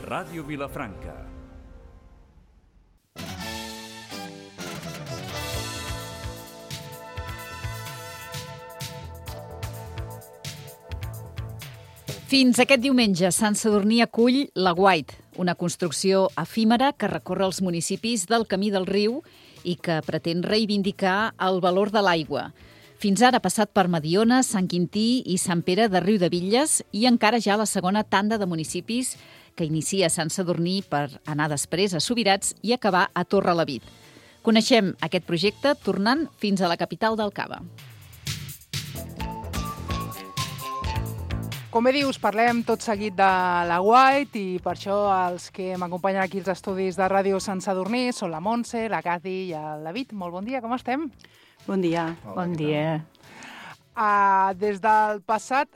Ràdio Vilafranca. Fins aquest diumenge, Sant Sadurní acull la White, una construcció efímera que recorre els municipis del Camí del Riu i que pretén reivindicar el valor de l'aigua. Fins ara ha passat per Mediona, Sant Quintí i Sant Pere de Riudebitlles i encara ja la segona tanda de municipis que inicia Sant Sadurní per anar després a Subirats i acabar a Torrelavit. Coneixem aquest projecte tornant fins a la capital del Cava. Com bé dius, parlem tot seguit de la White i per això els que m'acompanyen aquí als estudis de Ràdio Sant Sadurní són la Montse, la Cathy i el David. Molt bon dia, com estem? Bon dia. Bon dia. Des del passat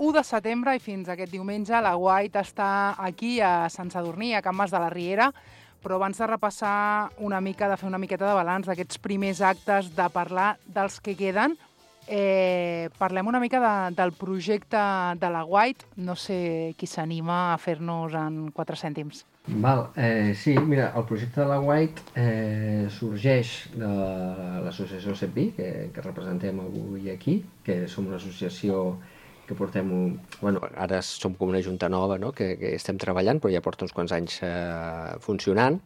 1 de setembre i fins aquest diumenge, la White està aquí a Sant Sadurní, a Can Mas de la Riera, però abans de repassar una mica, de fer una miqueta de balanç d'aquests primers actes, de parlar dels que queden, parlem una mica del projecte de la White. No sé qui s'anima a fer-nos en 4 cèntims. Sí, mira, el projecte de la White sorgeix de l'associació CEPI, que representem avui aquí, que som una associació que portem... ara som com una junta nova, no?, que estem treballant, però ja porta uns quants anys funcionant,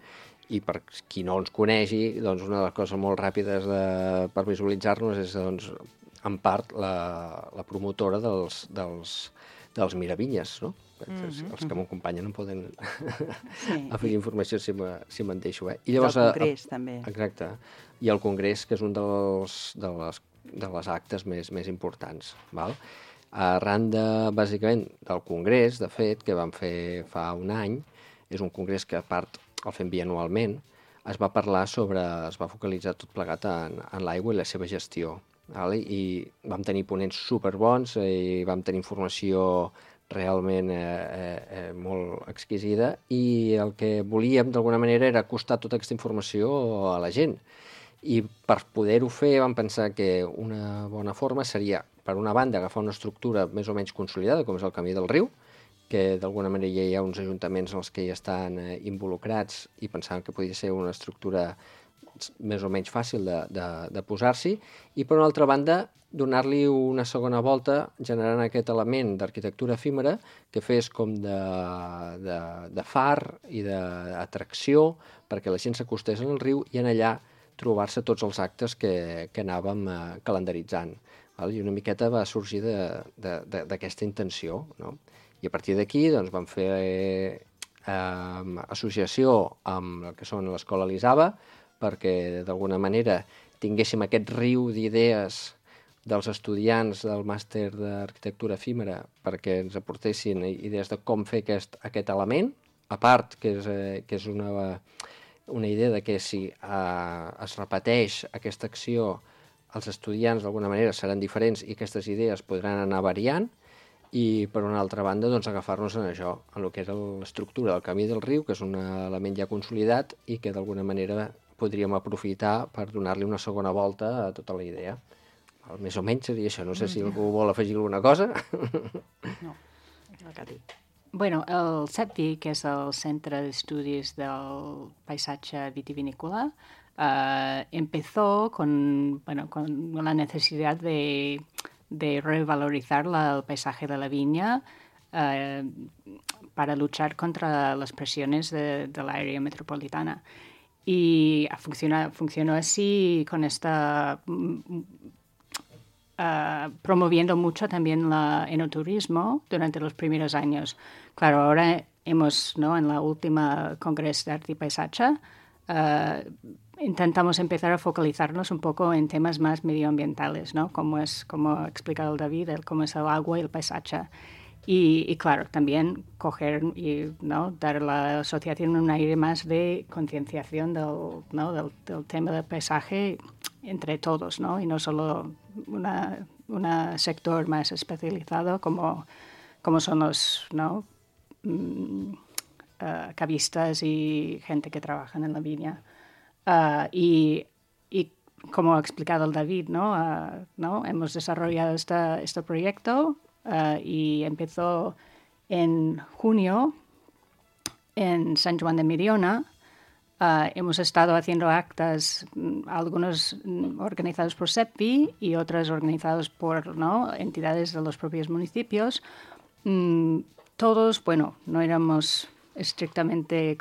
i per qui no ens conegi, doncs una de les coses molt ràpides per visualitzar-nos és, doncs, en part, la promotora dels Miravinyes, no? Els que m'acompanyen no poden afegir informació si me'n deixo. I llavors, del Congrés, també. Exacte. I el Congrés, que és un de les actes més importants. Val? Arran bàsicament, del Congrés, de fet, que vam fer fa un any, és un congrés que, a part, el fem bianualment, es va focalitzar tot plegat en l'aigua i la seva gestió. I vam tenir ponents superbons i vam tenir informació realment molt exquisida, i el que volíem d'alguna manera era acostar tota aquesta informació a la gent. I per poder-ho fer vam pensar que una bona forma seria, per una banda, agafar una estructura més o menys consolidada, com és el Camí del Riu, que d'alguna manera ja hi ha uns ajuntaments en els que hi estan involucrats i pensàvem que podia ser una estructura més o menys fàcil de posar-s'hi, i per una altra banda donar-li una segona volta generant aquest element d'arquitectura efímera que fes com de far i d'atracció perquè la gent s'acostés al riu i en allà trobar-se tots els actes que anàvem calendaritzant. I una miqueta va sorgir d'aquesta intenció, no? I a partir d'aquí doncs, vam fer associació amb el que són l'Escola Elisava, perquè d'alguna manera tinguéssim aquest riu d'idees dels estudiants del màster d'arquitectura efímera perquè ens aportessin idees de com fer aquest element, a part que és una idea de que si es repeteix aquesta acció els estudiants d'alguna manera seran diferents i aquestes idees podran anar variant, i per una altra banda doncs, agafar-nos en això, en el que era l'estructura del Camí del Riu, que és un element ja consolidat i que d'alguna manera podríem aprofitar per donar-li una segona volta a tota la idea. Més o menys seria això. No sé si algú vol afegir alguna cosa. No, el que ha dit. Bueno, el CEPVI, que és el Centre d'Estudis del Paisatge Vitivinícola, empezó con la necesidad de revalorizar el paisaje de la viña para luchar contra las presiones de la área metropolitana. Y funcionó así con promoviendo mucho también el enoturismo durante los primeros años. Claro, ahora hemos, ¿no?, en la última Congreso de Arte y Paisaje, intentamos empezar a focalizarnos un poco en temas más medioambientales, ¿no? Como ha explicado el David, cómo es el agua y el paisaje. Y claro, también coger y, ¿no?, dar a la asociación un aire más de concienciación del tema del paisaje entre todos, ¿no? Y no solo un sector más especializado como son los, ¿no?, cavistas y gente que trabaja en la viña. Y como ha explicado el David, ¿no? Hemos desarrollado este proyecto y empezó En junio, en San Juan de Mediona, hemos estado haciendo actas, algunos organizados por SEPI y otros organizados por entidades de los propios municipios. Todos, no éramos estrictamente,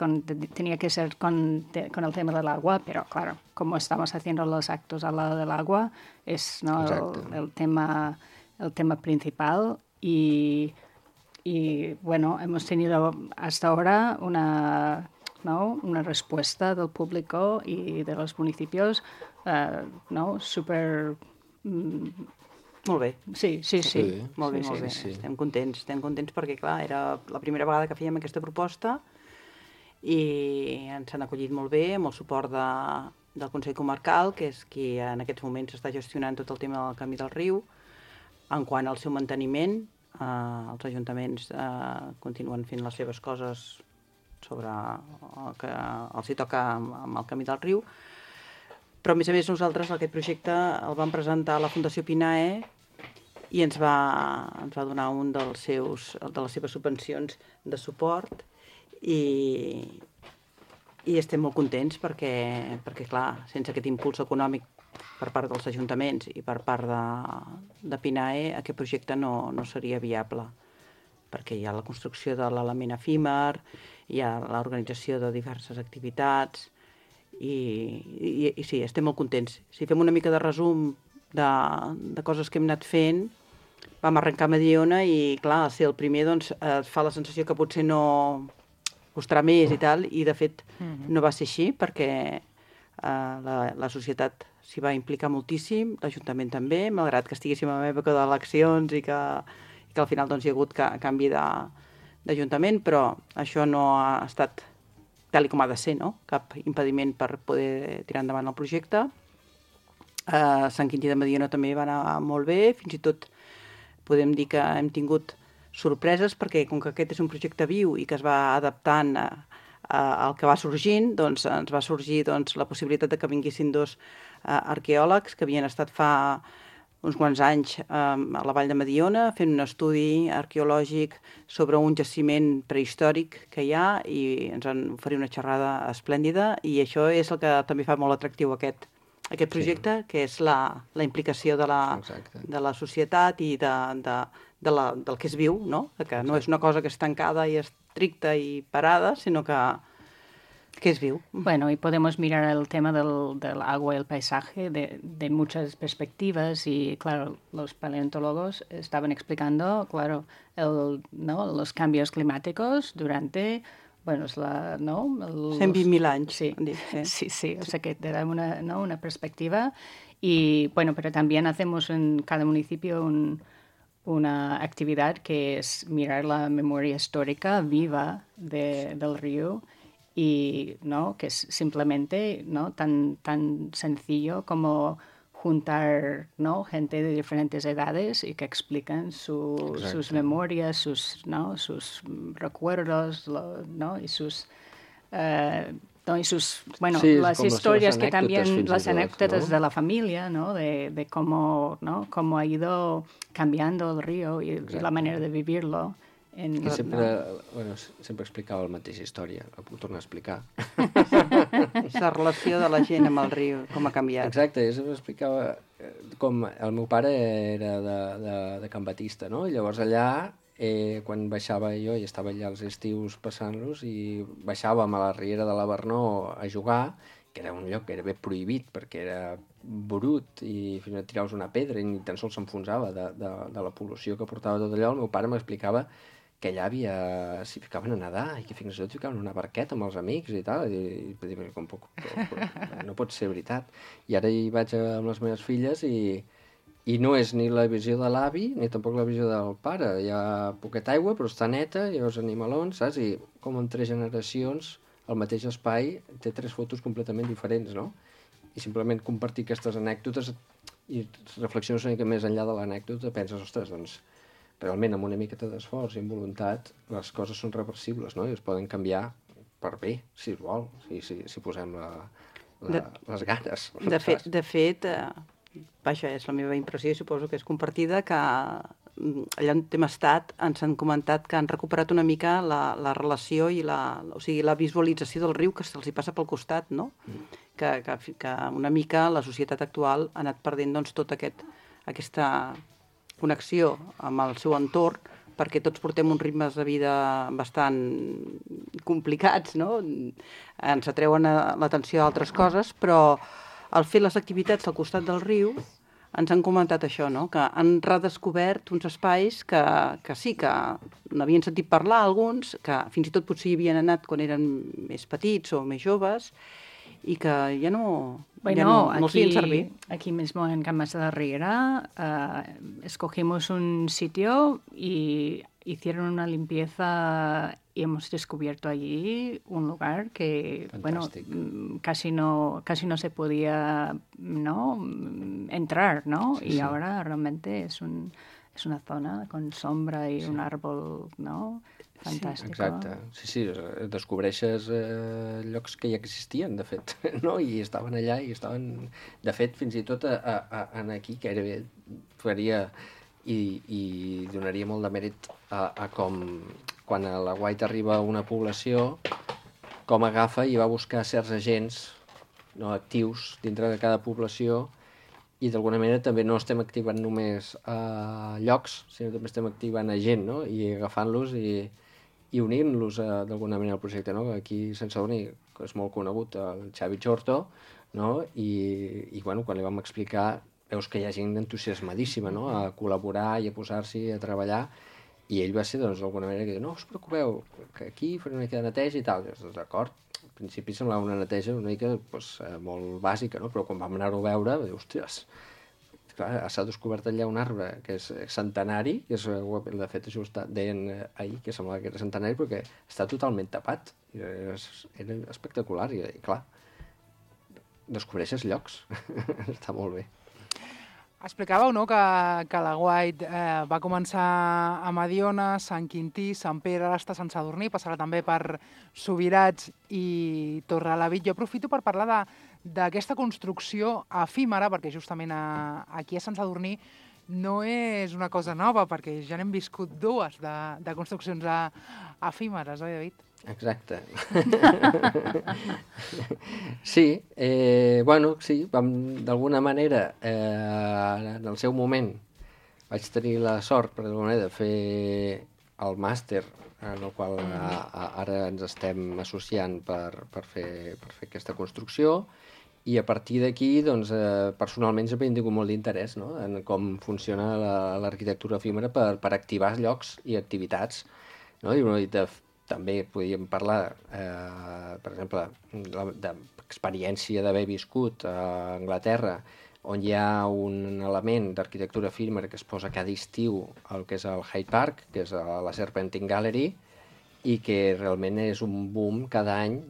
tenía que ser con el tema del agua, pero claro, como estamos haciendo los actos al lado del agua, es el tema principal y hemos tenido hasta ahora una respuesta del público y de los municipios súper... Molt bé. Sí. Molt bé. Estem contents perquè, clar, era la primera vegada que fèiem aquesta proposta i ens han acollit molt bé, amb el suport del Consell Comarcal, que és qui en aquests moments està gestionant tot el tema del Camí del Riu. En quant al seu manteniment, els ajuntaments continuen fent les seves coses sobre el que els hi toca amb el Camí del Riu, però a més nosaltres aquest projecte el vam presentar a la Fundació Pinae i ens va donar un de les seves subvencions de suport i estem molt contents perquè clar, sense aquest impuls econòmic per part dels ajuntaments i per part de Pinae aquest projecte no seria viable, perquè hi ha la construcció de l'element efímer, hi ha l'organització de diverses activitats i sí, estem molt contents. Si fem una mica de resum de coses que hem anat fent, vam arrencar a Mediona i, clar, al ser el primer, doncs, es fa la sensació que potser no costarà més i tal, i de fet no va ser així, perquè la societat s'hi va implicar moltíssim, l'Ajuntament també, malgrat que estiguéssim en època d'eleccions i que al final doncs, hi ha hagut canvi d'Ajuntament, però això no ha estat tal com ha de ser, no? Cap impediment per poder tirar endavant el projecte. Sant Quintí de Mediona també va anar molt bé, fins i tot podem dir que hem tingut sorpreses perquè com que aquest és un projecte viu i que es va adaptant al que va sorgint, doncs ens va sorgir la possibilitat de que vinguessin dos arqueòlegs que havien estat fa uns quants anys a la Vall de Mediona fent un estudi arqueològic sobre un jaciment prehistòric que hi ha i ens van oferir una xerrada esplèndida i això és el que també fa molt atractiu aquest projecte, que és la implicació de la societat i del que és viu, no? Que no és una cosa que és tancada i estricta i parada, sinó que es viu. Bueno, y podemos mirar el tema del agua y el paisaje de muchas perspectivas y, claro, los paleontólogos estaban explicando, claro, los cambios climáticos durante... Bueno, es 120.000 anys. Sí, o sea que te da una perspectiva y, bueno, pero también hacemos en cada municipio una actividad que es mirar la memoria histórica viva del río y, que es simplemente tan sencillo como juntar gente de diferentes edades y que explican sus memorias, sus recuerdos, y sus las historias que también, las anécdotas de la familia, de cómo ha ido cambiando el río y la manera de vivirlo. I sempre explicava la mateixa història, la puc tornar a explicar. La relació de la gent amb el riu, com ha canviat. Exacte, jo sempre explicava com el meu pare era de Can Batista, no? I llavors allà, quan baixava jo, i estava allà els estius passant-los, i baixàvem a la riera de la Bernó a jugar, que era un lloc que era ben prohibit, perquè era brut, i fins i tot tiraves una pedra i ni tan sols s'enfonsava de la pol·lució que portava tot allò. El meu pare m'explicava que allà s'hi ficaven a nedar i que fins i tot ficaven una barqueta amb els amics i tal, i no pot ser veritat. I ara hi vaig amb les meves filles i no és ni la visió de l'avi ni tampoc la visió del pare. Hi ha poqueta aigua però està neta, hi ha els animalons, saps? I com en 3 generacions el mateix espai té 3 fotos completament diferents, no? I simplement compartir aquestes anècdotes i reflexiones una mica més enllà de l'anècdota, penses, ostres, doncs realment amb una miqueta d'esforç i amb voluntat les coses són reversibles, no? I es poden canviar per bé, si es vol, si posem les ganes. De fet, vaja, és la meva impressió i suposo que és compartida, que allà on hem estat, ens han comentat que han recuperat una mica la relació i o sigui, la visualització del riu que se'ls hi passa pel costat, no? Que una mica la societat actual ha anat perdent doncs, tota aquesta connexió amb el seu entorn, perquè tots portem uns ritmes de vida bastant complicats, no? Ens atreuen l'atenció a altres coses, però al fer les activitats al costat del riu ens han comentat això, no? Que han redescobert uns espais que sí, que n'havien sentit parlar alguns, que fins i tot potser hi havien anat quan eren més petits o més joves, y que ya no, bueno, no siguen servir. Aquí mismo en Camas de la Riera escogimos un sitio y hicieron una limpieza y hemos descubierto allí un lugar que, fantástico. Bueno, casi no se podía, ¿no?, entrar, ¿no? Sí, y sí. Ahora realmente es una zona con sombra i un árbol, no?, fantàstic. Sí, exacte. Sí, descobreixes llocs que ja existien, de fet, no? I estaven allà i estaven... De fet, fins i tot en aquí, que gairebé faria i donaria molt de mèrit a com, quan a la White arriba a una població, com agafa i va buscar certs agents, no, actius dintre de cada població, i d'alguna manera també no estem activant només llocs, sinó també estem activant a gent, no? I agafant-los i unint-los d'alguna manera al projecte, no? Aquí a Sant Sadurní és molt conegut el Xavi Chorto, no? I bueno, quan li vam explicar, veus que hi ha gent entusiasmadíssima, no?, a col·laborar i a posar-s'hi a treballar, i ell va ser, doncs, d'alguna manera que no us preocupeu, que aquí faré una mica de neteja i tal. D'acord, al principi semblava una neteja una mica molt bàsica, no? Però quan vam anar-ho a veure, va dir, ostres, clar, s'ha descobert allà un arbre que és centenari, que és, de fet això deien ahir, que semblava que era centenari, perquè està totalment tapat. Era espectacular, i clar, descobreixes llocs. Està molt bé. Explicàveu, no?, que la White va començar a Mediona, Sant Quintí, Sant Pere, ara està a Sant Sadurní, passarà també per Subirats i Torrelavit. Jo aprofito per parlar d'aquesta construcció efímera, perquè justament aquí a Sant Sadurní no és una cosa nova, perquè ja n'hem viscut dues de construccions efímeres, oi, David? Exacte. Sí, bueno, sí, d'alguna manera, en el seu moment vaig tenir la sort, per d'alguna manera, de fer el màster, en el qual ara ens estem associant per fer aquesta construcció, i a partir d'aquí, doncs, personalment sempre he tingut molt d'interès, no?, en com funciona l'arquitectura efímera per activar llocs i activitats, no? I també podríem parlar, per exemple, d'experiència d'haver viscut a Anglaterra, on hi ha un element d'arquitectura efímera que es posa cada estiu al que és el Hyde Park, que és la Serpentine Gallery, i que realment és un boom cada any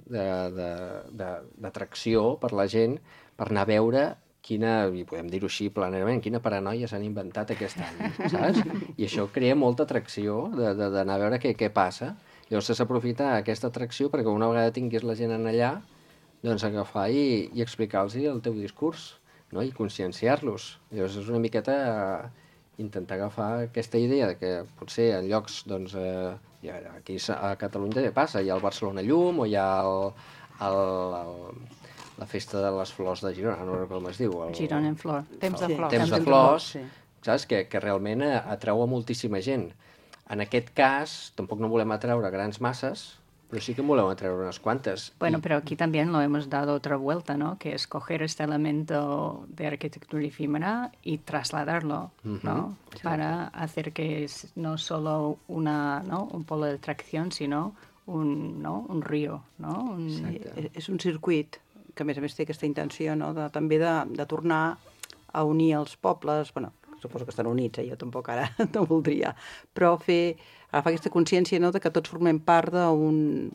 d'atracció per la gent per anar a veure quina, i podem dir-ho així planerament, quina paranoia s'han inventat aquest any, saps? I això crea molta atracció d'anar a veure què passa. Llavors s'aprofita aquesta atracció perquè una vegada tinguis la gent allà, doncs agafar i explicar-los el teu discurs, no?, i conscienciar-los. Llavors és una miqueta intentar agafar aquesta idea de que potser en llocs, doncs, aquí a Catalunya també passa, hi ha el Barcelona Llum, o hi ha la festa de les flors de Girona, no recordo com es diu. Girona en flor. Temps de flors. Temps de flors, saps? Que realment atreu a moltíssima gent. En aquest cas, tampoc no volem atreure grans masses, pero sí que volem atreure unas cuantas. Bueno, pero aquí también lo hemos dado otra vuelta, ¿no? Que es coger este elemento de arquitectura efímera y trasladarlo, ¿no? Sí. Para hacer que es no solo un polo de atracción, sino un río, ¿no? Sí, és un circuit que, a més té aquesta intenció, no?, també de tornar a unir els pobles, bueno, suposo que estan units, jo tampoc ara no voldria, però agafar aquesta consciència, no?, de que tots formem part d'un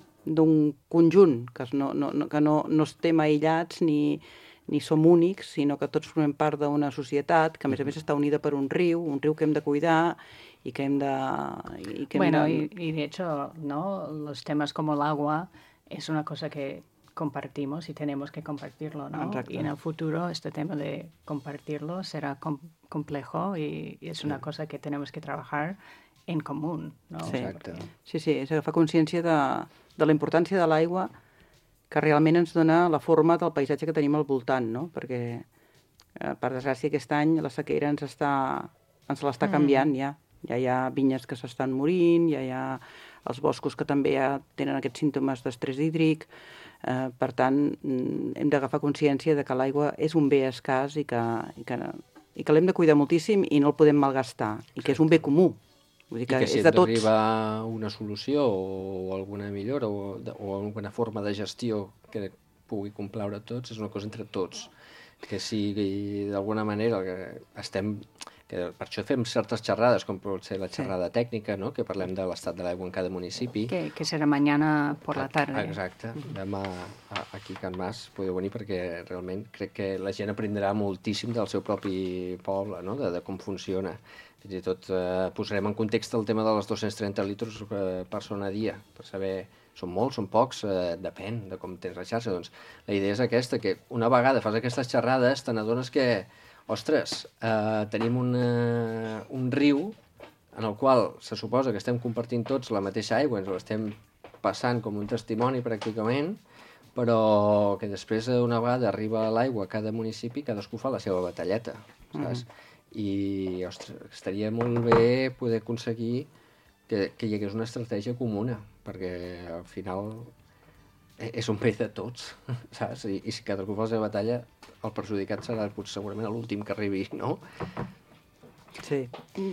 conjunt, que no estem aïllats ni som únics, sinó que tots formem part d'una societat que, a més està unida per un riu que hem de cuidar y que hem de... Bueno, y de hecho, ¿no?, los temas como el agua es una cosa que compartimos y tenemos que compartirlo, ¿no? Exacto. Y en el futuro este tema de compartirlo será complejo y es una cosa que tenemos que trabajar en común, ¿no? Sí. Exacte. Sí, és agafar consciència de la importància de l'aigua que realment ens dona la forma del paisatge que tenim al voltant, no? Perquè, per desgràcia, aquest any la sequera ens l'està canviant ja. Ja hi ha vinyes que s'estan morint, ja hi ha els boscos que també ja tenen aquests símptomes d'estrès hídric. Per tant, hem d'agafar consciència de que l'aigua és un bé escàs i que l'hem de cuidar moltíssim i no el podem malgastar, i que és un bé comú. Vull dir que I que si és de tots. arriba una solució o alguna millora o alguna forma de gestió que pugui complaure a tots, és una cosa entre tots. Que sigui d'alguna manera que estem... Que per això fem certes xerrades, com pot ser la xerrada tècnica, no? Que parlem de l'estat de l'aigua en cada municipi. Que serà mañana por la tarde. Exacte. Demà aquí a Can Mas podeu venir perquè realment crec que la gent aprendrà moltíssim del seu propi poble, no? De com funciona. Fins i tot posarem en context el tema de les 230 litres per persona a dia, per saber... Són molts, són pocs, depèn de com tens la xarxa. Doncs la idea és aquesta, que una vegada fas aquestes xerrades te n'adones que, ostres, tenim un riu en el qual se suposa que estem compartint tots la mateixa aigua, ens l'estem passant com un testimoni pràcticament, però que després una vegada arriba l'aigua a cada municipi, cadascú fa la seva batalleta, saps? I, ostres, estaria molt bé poder aconseguir que hi hagués una estratègia comuna, perquè al final és un bé de tots, saps? I si cadascú fa la seva batalla, el perjudicat serà segurament l'últim que arribi, no? Sí.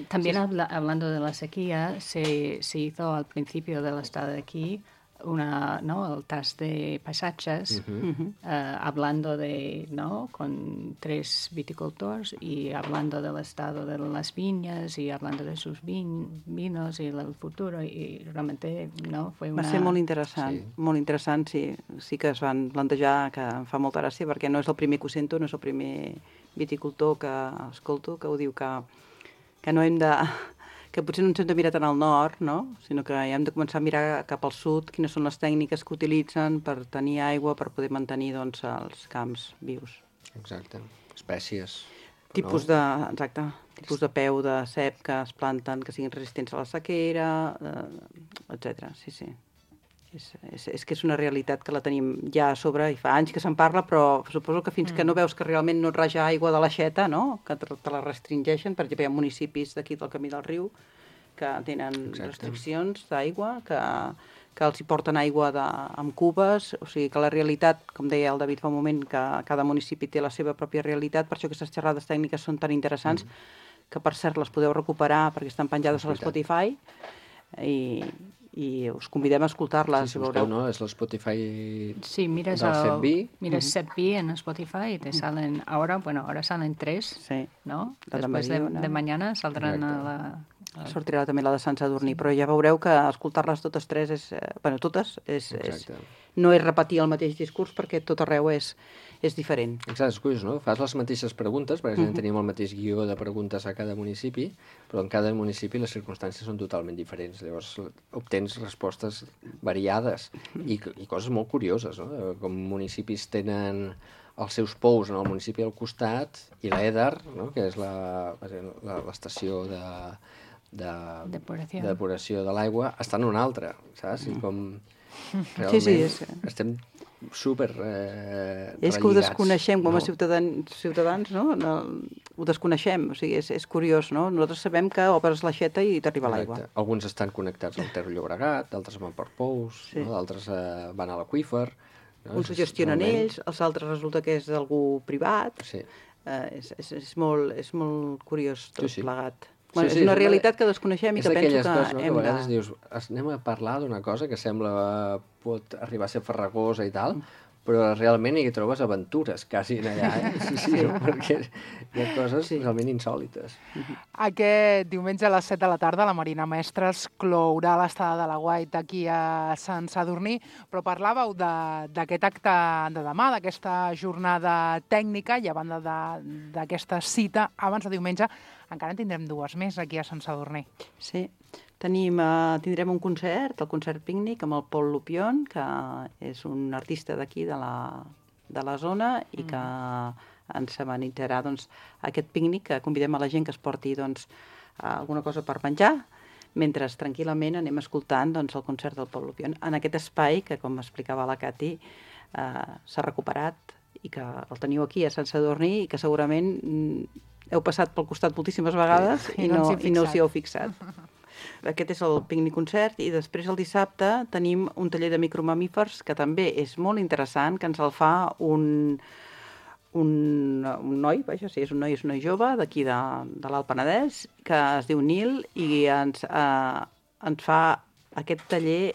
También hablando de la sequía, se hizo al principio del estado de aquí el test de paisajes, hablando de, ¿no? Con 3 viticultores y hablando del estado de las viñas y hablando de sus vinos y el futuro, y realmente, ¿no? Va ser molt interessant, molt interessant, sí. Sí que es van plantejar, que em fa molta gràcia, perquè no és el primer que ho sento, no és el primer viticultor que escolto, que ho diu que no hem de... que potser no ens hem de mirar tant al nord, no? Sinó que hem de començar a mirar cap al sud, quines són les tècniques que utilitzen per tenir aigua, per poder mantenir doncs, els camps vius. Exacte. Espècies. Tipus de peu de cep que es planten, que siguin resistents a la sequera, etc. Sí, sí. És que és una realitat que la tenim ja a sobre i fa anys que se'n parla, però suposo que fins que no veus que realment no et raja aigua de l'aixeta, no? Que te la restringeixen. Per exemple, hi ha municipis d'aquí del Camí del Riu que tenen restriccions d'aigua, que els hi porten aigua amb cubes, o sigui que la realitat, com deia el David fa un moment, que cada municipi té la seva pròpia realitat, per això aquestes xerrades tècniques són tan interessants, que per cert les podeu recuperar perquè estan penjades a l'Spotify i us convidem a escoltar-les. Sí, si busqueu, no? És l'Spotify del CEPVI. Mires CEPVI en Spotify y te salen, ahora salen 3, ¿no? Después de mañana saldran a la... Sortirà també la de Sant Sadurní, però ja veureu que escoltar-les totes 3 no és repetir el mateix discurs perquè tot arreu és diferent. Exacte, és curiós, no? Fas les mateixes preguntes, perquè tenim el mateix guió de preguntes a cada municipi, però en cada municipi les circumstàncies són totalment diferents. Llavors obtens respostes variades i coses molt curioses, no? Com municipis tenen els seus pous en el municipi al costat i l'EDAR, no? Que és l'estació de depuració de l'aigua, està en una altra, saps? I com realment estem super relligats. És que ho desconeixem com a ciutadans, no? Ho desconeixem, o sigui, és curiós, no? Nosaltres sabem que obres l'aixeta i t'arriba l'aigua. Alguns estan connectats al Ter Llobregat, d'altres van per pous, d'altres van a l'aqüífer. Uns ho gestionen ells, els altres resulta que és d'algú privat. És molt curiós tot plegat. És una realitat que desconeixem i que penso que hem de... És d'aquelles coses, no?, que a vegades dius, anem a parlar d'una cosa que sembla pot arribar a ser farragosa i tal, però realment hi trobes aventures quasi allà, sí, perquè hi ha coses realment insòlites. Aquest diumenge a les 7 de la tarda la Marina Mestres clourà l'estada de la White aquí a Sant Sadurní, però parlàveu d'aquest acte de demà, d'aquesta jornada tècnica, i a banda d'aquesta cita, abans de diumenge, encara en tindrem 2 més aquí a Sant Sadurní. Sí, Tindrem un concert, el concert pícnic amb el Pol Lupion, que és un artista d'aquí, de la zona, i que ens amenitzarà aquest pícnic, que convidem a la gent que es porti alguna cosa per menjar, mentre tranquil·lament anem escoltant el concert del Pol Lupion. En aquest espai, que com explicava la Cati, s'ha recuperat i que el teniu aquí a Sant Sadurní i que segurament heu passat pel costat moltíssimes vegades i no us hi heu fixat. Aquest és el pícnic concert i després el dissabte tenim un taller de micromamífers que també és molt interessant, que ens el fa un noi, és un noi jove d'aquí de l'Alt Penedès, que es diu Nil i ens fa aquest taller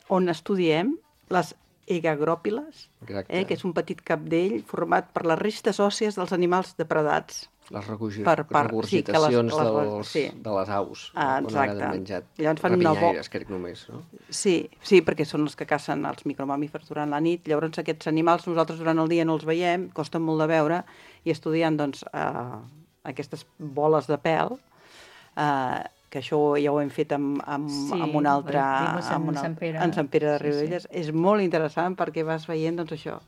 on estudiem les egagròpiles, que és un petit capdell format per les restes òssies dels animals depredats. Les regurgitacions de les aus, on ara han menjat rapinyaires, crec només, no? Sí, perquè són els que cacen els micromamífers durant la nit. Llavors aquests animals nosaltres durant el dia no els veiem, costa molt de veure, i estudiant aquestes boles de pèl, que això ja ho hem fet amb un altre, en Sant Pere de Riudebitlles. És molt interessant perquè vas veient això,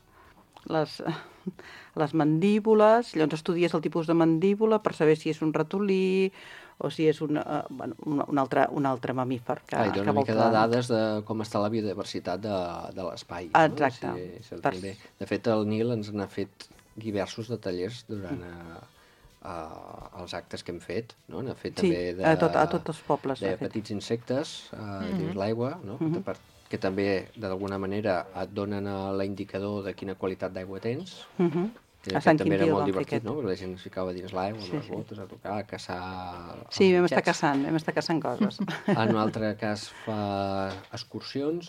les mandíbules, llavors estudies el tipus de mandíbula per saber si és un ratolí o si és un altre mamífer. I dona una mica de dades de com està la biodiversitat de l'espai. Exacte. De fet, el Nil ens n'ha fet diversos de tallers durant els actes que hem fet. N'ha fet també a tots els pobles. De petits insectes dins l'aigua, que també, d'alguna manera, et donen l'indicador de quina qualitat d'aigua tens. A Sant també Quintí era molt divertit, no? La gent es ficava dins l'aigua, amb les botes, a tocar, a caçar... Sí, vam estar caçant coses. En un altre cas fa excursions,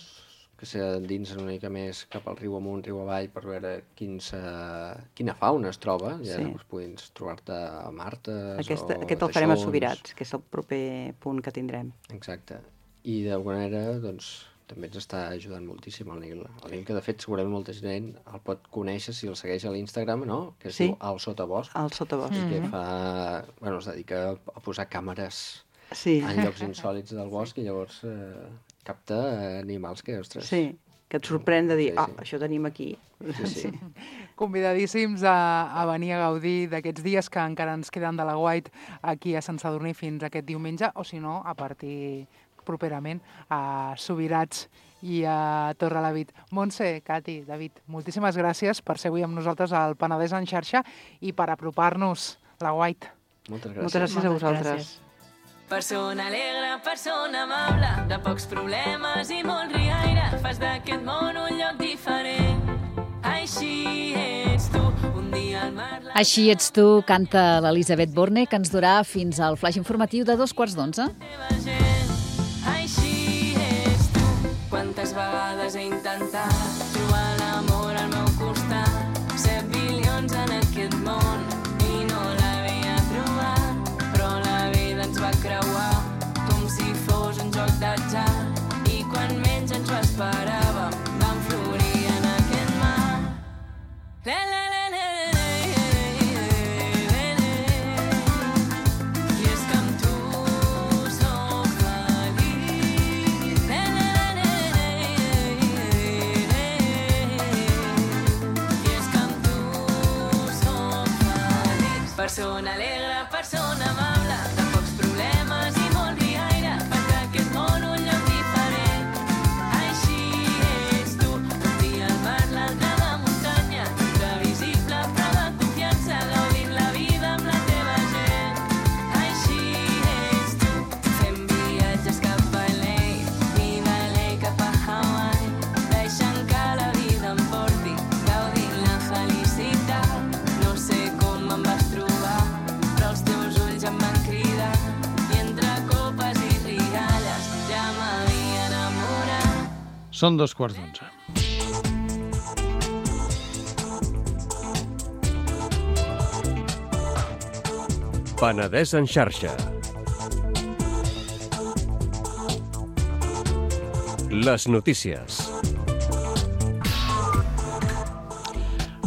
que s'endinsen una mica més cap al riu amunt, riu avall, per veure quina fauna es troba. Ja pots trobar-te a Martes... Aquest el farem a Subirats, que és el proper punt que tindrem. Exacte. I d'alguna manera, també ens està ajudant moltíssim el Nil. El Nil, que de fet segurament molta gent el pot conèixer si el segueix a l'Instagram, no? Que es diu El Sotabosc. El Sotabosc. I que es dedica a posar càmeres en llocs insòlits del bosc i llavors capta animals que, ostres... Sí, que et sorprèn de dir, això tenim aquí. Sí. Convidadíssims a venir a gaudir d'aquests dies que encara ens queden de la White aquí a Sant Sadurní fins aquest diumenge, o si no, a partir properament a Subirats i a Torrelavit. Montse, Cati, David, moltíssimes gràcies per ser avui amb nosaltres al Penedès en xarxa i per apropar-nos la White. Moltes gràcies. Moltes gràcies a vosaltres. Persona alegre, persona amable, de pocs problemes i molt riaire, fas d'aquest món un lloc diferent. Així ets tu, un dia al mar... Així ets tu, canta l'Elisabet Borne, que ens durà fins al flaix informatiu de 11:15. Així ets tu, quantes vegades he intentat trobar l'amor al meu costat, 7 bilions en aquest món i no l'havia trobat, però la vida ens va creuar com si fos un joc d'atzar i quan menys ens ho esperàvem vam florir en aquest mar. Persona alegre, persona amable, de pocs problemes i molt riaire, fas d'aquest món un lloc diferent. Així ets tu, un dia al mar, l'altre a la muntanya, previsible però de confiança, gaudint la vida amb la teva gent. Així ets tu, fent viatges cap a LA i de LA cap a Hawaii, deixant que la vida em porti, gaudint la felicitat. No sé com em vas trobar, però els teus ulls em van cridar i entre copes i rialles ja m'havia enamorat. Són 11:15. Penedès en xarxa. Les notícies.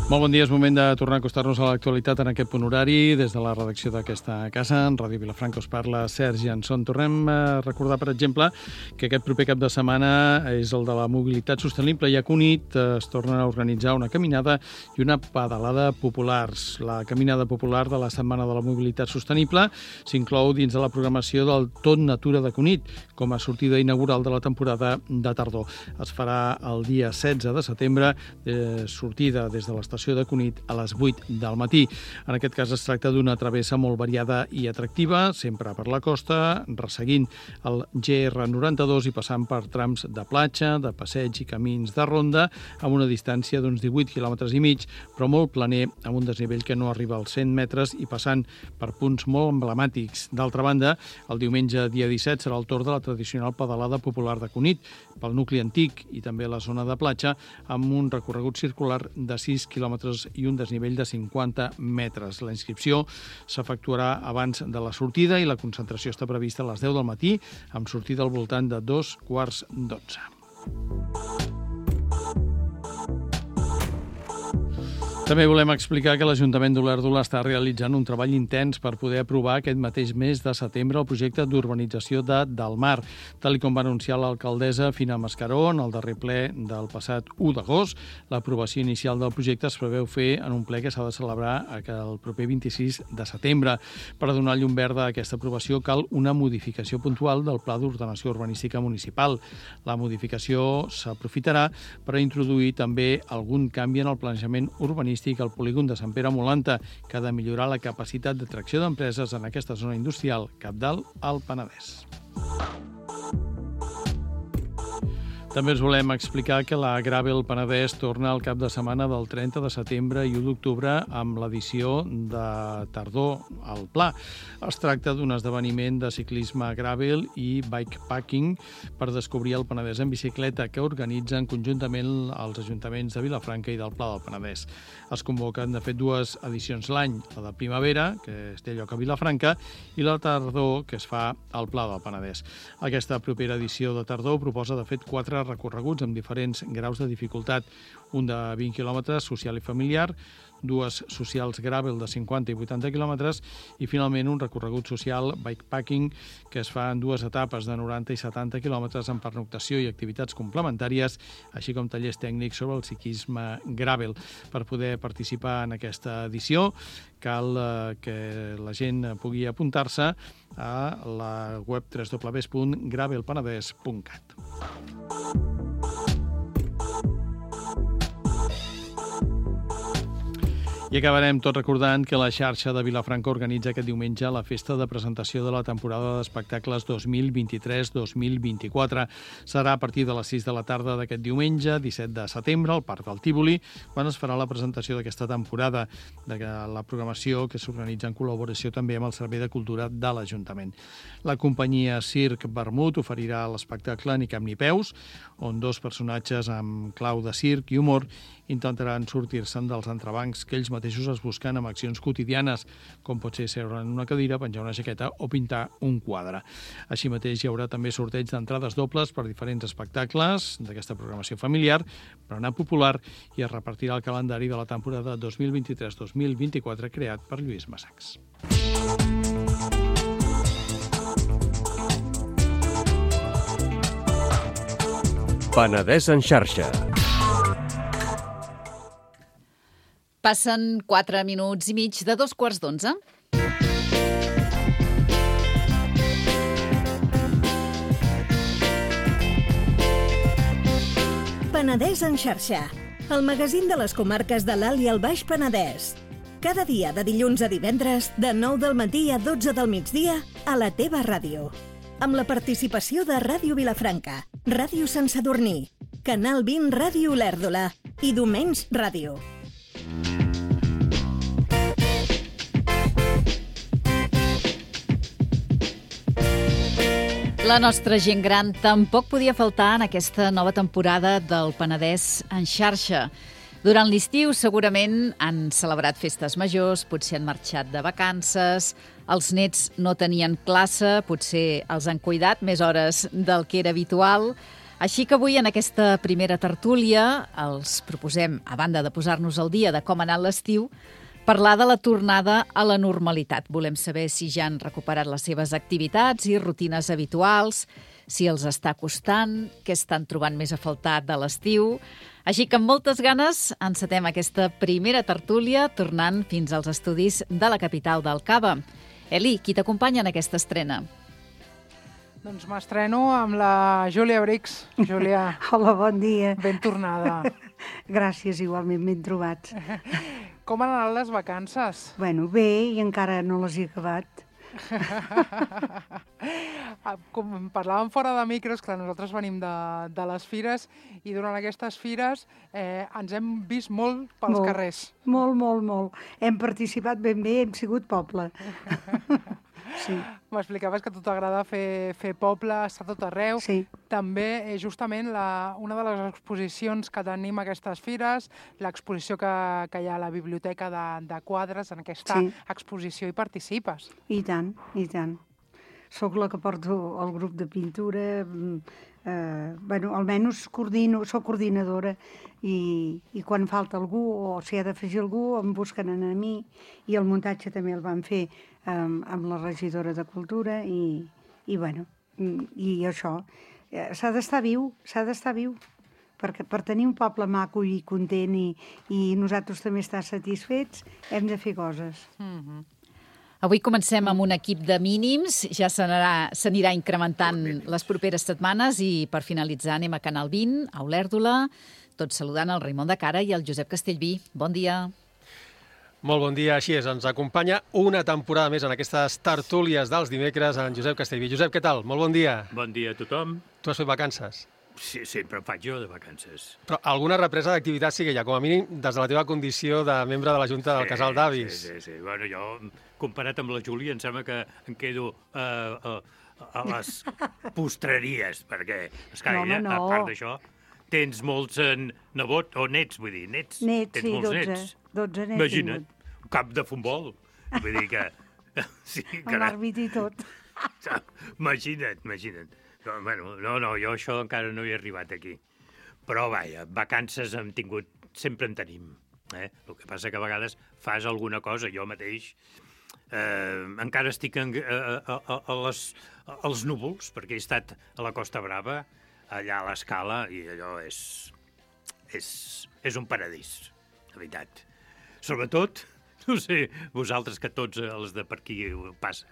Molt bon dia, és moment de tornar a acostar-nos a l'actualitat en aquest punt horari. Des de la redacció d'aquesta casa, en Ràdio Vilafranca, us parla Sergi Anson. Tornem a recordar, per exemple, que aquest proper cap de setmana és el de la mobilitat sostenible i a Cunit es torna a organitzar una caminada i una pedalada populars. La caminada popular de la Setmana de la Mobilitat Sostenible s'inclou dins de la programació del Tot Natura de Cunit, com a sortida inaugural de la temporada de tardor. Es farà el dia 16 de setembre, sortida des de l'estació de Cunit a les 8 del matí. En aquest cas es tracta d'una travessa molt variada i atractiva, sempre per la costa, resseguint el GR92 i passant per trams de platja, de passeig i camins de ronda, amb una distància d'uns 18 quilòmetres i mig, però molt planer, amb un desnivell que no arriba als 100 metres i passant per punts molt emblemàtics. D'altra banda, el diumenge dia 17 serà el torn de la tradicional pedalada popular de Cunit, pel nucli antic i també la zona de platja, amb un recorregut circular de 6 quilòmetres i un desnivell de 50 metres. La inscripció s'efectuarà abans de la sortida i la concentració està prevista a les 10 del matí, amb sortida al voltant de 11:45. També volem explicar que l'Ajuntament d'Olèrdola està realitzant un treball intens per poder aprovar aquest mateix mes de setembre el projecte d'urbanització de Del Mar. Tal com va anunciar l'alcaldessa Fina Mascaró en el darrer ple del passat 1 d'agost, l'aprovació inicial del projecte es preveu fer en un ple que s'ha de celebrar el proper 26 de setembre. Per donar llum verda a aquesta aprovació cal una modificació puntual del Pla d'Ordenació Urbanística Municipal. La modificació s'aprofitarà per introduir també algun canvi en el planejament urbanístic al polígon de Sant Pere Molanta, que ha de millorar la capacitat d'atracció d'empreses en aquesta zona industrial cabdal al Penedès. També us volem explicar que la Gravel Penedès torna al cap de setmana del 30 de setembre i 1 d'octubre amb l'edició de tardor al Pla. Es tracta d'un esdeveniment de ciclisme gravel i bikepacking per descobrir el Penedès en bicicleta que organitzen conjuntament els ajuntaments de Vilafranca i del Pla del Penedès. Es convoquen, de fet, 2 edicions l'any, la de primavera, que es té lloc a Vilafranca, i la tardor, que es fa al Pla del Penedès. Aquesta propera edició de tardor proposa, de fet, 4 recorreguts amb diferents graus de dificultat, un de 20 quilòmetres, social i familiar, 2 socials gravel de 50 i 80 quilòmetres i, finalment, un recorregut social bikepacking que es fa en 2 etapes de 90 i 70 quilòmetres amb pernoctació i activitats complementàries, així com tallers tècnics sobre el ciclisme gravel. Per poder participar en aquesta edició cal que la gent pugui apuntar-se a la web www.gravelpenedès.cat. I acabarem tot recordant que la xarxa de Vilafranca organitza aquest diumenge la festa de presentació de la temporada d'espectacles 2023-2024. Serà a partir de les 6 de la tarda d'aquest diumenge, 17 de setembre, al Parc del Tívoli, quan es farà la presentació d'aquesta temporada, de la programació que s'organitza en col·laboració també amb el Servei de Cultura de l'Ajuntament. La companyia Circ Vermut oferirà l'espectacle Ni cap ni peus, on 2 personatges amb clau de circ i humor intentaran sortir-se'n dels entrebancs que ells mateixos es busquen amb accions quotidianes, com pot ser seure en una cadira, penjar una jaqueta o pintar un quadre. Així mateix hi haurà també sorteig d'entrades dobles per diferents espectacles d'aquesta programació familiar, berenar popular, i es repartirà el calendari de la temporada 2023-2024 creat per Lluís Massacs. Penedès en xarxa. Passen 4 minuts i mig de 11:15. Penedès en xarxa, el magazín de les comarques de l'Alt i el Baix Penedès. Cada dia de dilluns a divendres, de 9 del matí a 12 del migdia, a la teva ràdio. Amb la participació de Ràdio Vilafranca, Ràdio Sant Sadurní, Canal 20 Ràdio Olèrdola i Domens Ràdio. La nostra gent gran tampoc podia faltar en aquesta nova temporada del Penedès en xarxa. Durant l'estiu segurament han celebrat festes majors, potser han marxat de vacances, els nets no tenien classe, potser els han cuidat més hores del que era habitual, Així que avui, en aquesta primera tertúlia, els proposem, a banda de posar-nos al dia de com ha anat l'estiu, parlar de la tornada a la normalitat. Volem saber si ja han recuperat les seves activitats i rutines habituals, si els està costant, què estan trobant més a faltar de l'estiu. Així que amb moltes ganes encetem aquesta primera tertúlia, tornant fins als estudis de la capital del Cava. Eli, qui t'acompanya en aquesta estrena? Doncs m'estreno amb la Júlia Brix. Júlia, Hola, bon dia. ben tornada. Gràcies, igualment, ben trobats. Com han anat les vacances? Bueno, bé, i encara no les he acabat. Com parlàvem fora de micros, clar, nosaltres venim de les fires i durant aquestes fires ens hem vist molt pels carrers. Molt, molt, molt. Hem participat ben bé, hem sigut poble. Sí. M'explicaves que a tu t'agrada fer poble, estar tot arreu. Sí. També, justament, una de les exposicions que tenim a aquestes fires, l'exposició que hi ha a la biblioteca de quadres, en aquesta exposició hi participes. I tant, i tant. Soc la que porto el grup de pintura, bueno, almenys soc coordinadora i quan falta algú o s'hi ha d'afegir algú em busquen a mi, i el muntatge també el van fer amb la regidora de Cultura i bueno, i això, s'ha d'estar viu, perquè per tenir un poble maco i content i nosaltres també estar satisfets hem de fer coses. Avui comencem amb un equip de mínims, ja s'anirà incrementant les properes setmanes i per finalitzar anem a Canal 20, a Olèrdola, tots saludant el Raimon de Cara i el Josep Castellví. Bon dia. Molt bon dia, així és. Ens acompanya una temporada més en aquestes tertúlies dels dimecres en Josep Castellví. Josep, què tal? Molt bon dia. Bon dia a tothom. Tu has fet vacances? Sí, sempre em faig jo de vacances. Però alguna represa d'activitat sí que hi ha, com a mínim des de la teva condició de membre de la Junta del Casal d'Avis. Sí. Bueno, jo, comparat amb la Júlia, em sembla que em quedo a les postreries, perquè, esclar, ella, a part d'això, tens molts nebots, o nets, vull dir, nets. Nets, sí, 12 nets. Imagina't, un camp de futbol. Vull dir que... Sí, amb l'àrbit i tot. Imagina't. Bueno, no, jo això encara no hi he arribat aquí. Però, vaja, vacances hem tingut, sempre en tenim. El que passa que a vegades fas alguna cosa, jo mateix encara estic als núvols, perquè he estat a la Costa Brava, allà a l'Escala, i allò és un paradís, de veritat. Sobretot, no sé, vosaltres que tots els de per aquí ho passa,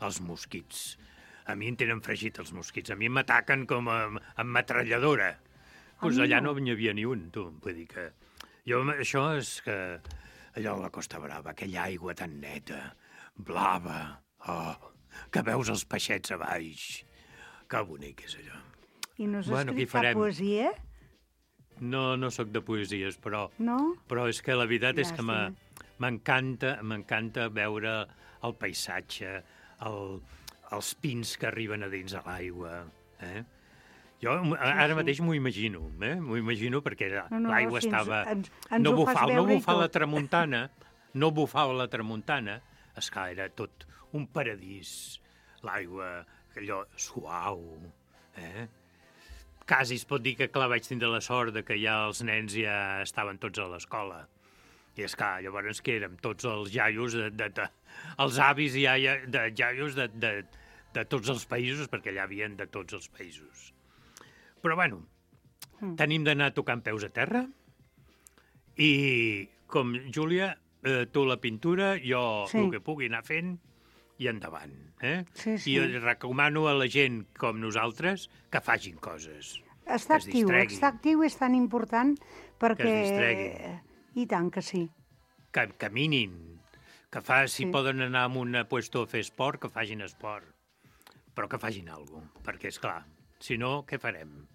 els mosquits. A mi em tenen fregit els mosquits, a mi m'ataquen com amb metralladora. Doncs allà no n'hi havia ni un, tu. Vull dir que... Això és que... Allò a la Costa Brava, aquella aigua tan neta, blava, que veus els peixets a baix. Que bonic és allò. I no has escrit cap poesia? No soc de poesies, però... No? Però és que la veritat és que m'encanta veure el paisatge, els pins que arriben a dins de l'aigua. Jo ara mateix m'ho imagino perquè l'aigua estava... No bufava la tramuntana, esclar, era tot un paradís, l'aigua, allò suau, Quasi es pot dir que, clar, vaig tindre la sort que ja els nens ja estaven tots a l'escola. I, esclar, llavors que érem tots els iaios, els avis i iaios de tots els països, perquè allà havien de tots els països. Però, bueno, tenim d'anar tocant peus a terra i, com Júlia, tu la pintura, jo el que pugui anar fent i endavant. I recomano a la gent com nosaltres que facin coses. Estar actiu és tan important perquè... Que es distreguin. I tant que sí. Que caminin, si poden anar a un puesto a fer esport, que facin esport. Però que facin alguna cosa, perquè, esclar, si no, què farem?